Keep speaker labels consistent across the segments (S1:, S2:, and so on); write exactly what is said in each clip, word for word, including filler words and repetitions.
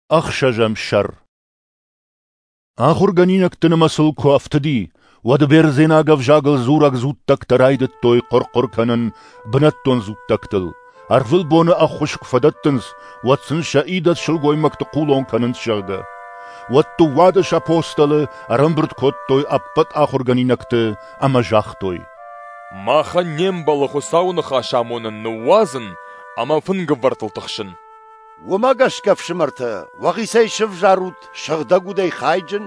S1: Ӕхсӕзӕм сӕр. Ахуыргӕнинӕгты нымӕцыл куы ӕфтыди, уӕд бердзенаг ӕвзагыл дзурӕг дзуттӕгтӕ райдыдтой хъуыр-хъуыр кӕнын бынӕттон дзуттӕгтыл, ӕрвылбоны ӕххуыс куы фӕдӕттынц, уӕд сын сӕ идӕдз сылгоймӕгты хъулон кӕнынц, зӕгъгӕ. Уӕд дыууадӕс апостолы ӕрӕмбырд кодтой ӕппӕт ахуыргӕнинӕгты ӕмӕ загътой:
S2: Махӕн не мбӕлы Хуыцауы ныхас амонын ныууадзын ӕмӕ фынгӕвӕрдтыл тыхсын.
S3: Уымӕ гӕсгӕ, ӕфсымӕртӕ, уӕхицӕй сывзарут сыгъдӕг удӕй хайджын,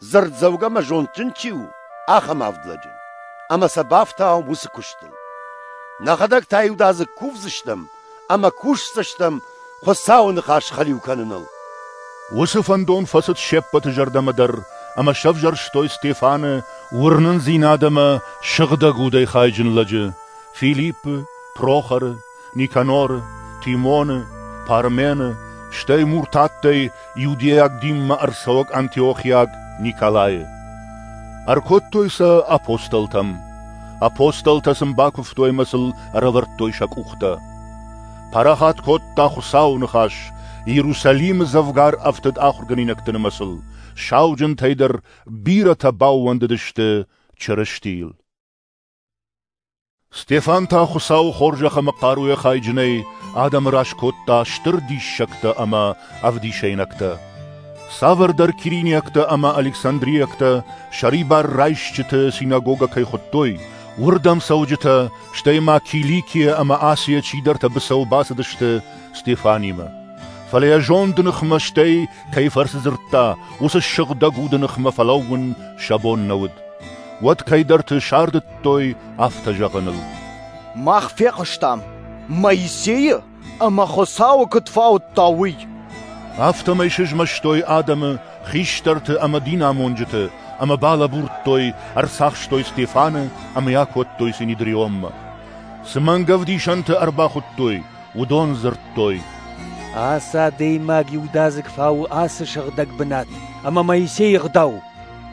S3: дзырддзӕугӕ ӕмӕ зондджын чи у, ахӕм авд лӕджы, ӕмӕ сӕ бафтауӕм уыцы куыстыл. Нӕхӕдӕг та иудадзыг кувдзыстӕм ӕмӕ кусдзыстӕм Хуыцауы ныхас хӕлиу кӕныныл.
S1: Уыцы фӕндон фӕцыд се ппӕты зӕрдӕмӕ дӕр ӕмӕ сӕвзӕрстой Стефаны, уырнындзинад ӕмӕ сыгъдӕг удӕй хайджын лӕджы, Филиппы, Прохоры, Никаноры, Тимоны, Пармены, стӕй муртаттӕй иудейаг динмӕ ӕрцӕуӕг антиохиаг Николайы. Ӕркодтой сӕ апостолтӕм. Апостолтӕ сын бакуывтой ӕмӕ сыл ӕрӕвӕрдтой сӕ къухтӕ. Парахат кодта Хуыцауы ныхас, Иерусалимы дзӕвгар ӕфтыд ахуыргӕнинӕгты нымӕцыл, сауджынтӕй дӕр бирӕтӕ баууӕндыдысты Чырыстийыл. Стефан та Хуыцауы хорзӕх ӕмӕ хъаруйӕ хайджынӕй адӕмы раз кодта стыр диссӕгтӕ ӕмӕ ӕвдисӕйнӕгтӕ. Цавӕрдӕр кириниӕгтӕ ӕмӕ александриӕгтӕ сӕрибар райсджыты синагогӕ кӕй хуыдтой, уырдӕм цӕуджытӕ, стӕй ма Киликийӕ ӕмӕ Асийӕ чидӕртӕ быцӕу бацыдысты Стефанимӕ. Фӕлӕ йӕ зонды ныхмӕ, стӕй кӕй фӕрцы дзырдта, уыцы сыгъдӕг уды ныхмӕ фӕлӕууын сӕ бон нӕ уыд. Уӕд кӕйдӕрты сардыдтой афтӕ зӕгъыныл:
S4: Мах фехъуыстам Моисейы ӕмӕ Хуыцауы куыд фаудта, уый.
S1: Афтӕмӕй сызмӕстой адӕмы, хистӕрты ӕмӕ динамонджыты, ӕмӕ балӕбурдтой, ӕрцахстой Стефаны ӕмӕ йӕ акодтой Синедрионмӕ. Цы мӕнгӕвдисӕнты ӕрбахуыдтой, уыдон дзырдтой:
S5: Ацы адӕймаг иудадзыг фауы ацы сыгъдӕг бынат ӕмӕ Моисейы ӕгъдау.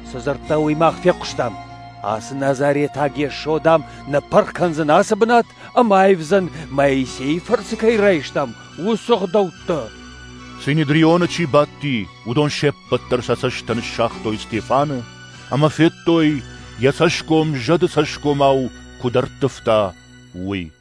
S5: Цы дзырдта, уый мах фехъуыстам. Ацы Назаретаг Йесо, дам, ныппырх кӕндзӕн ацы бынат ӕмӕ аивдзӕн, Моисейы фӕрцы кӕй райстам, уыцы ӕгъдӕуттӕ.
S1: Синедрионы чи бадти, уыдон се ппӕт дӕр сӕ цӕсттӕ ныссагътой Стефаны ӕмӕ федтой, йӕ цӕсгом зӕды цӕсгомау куыд ӕрттывта, уый.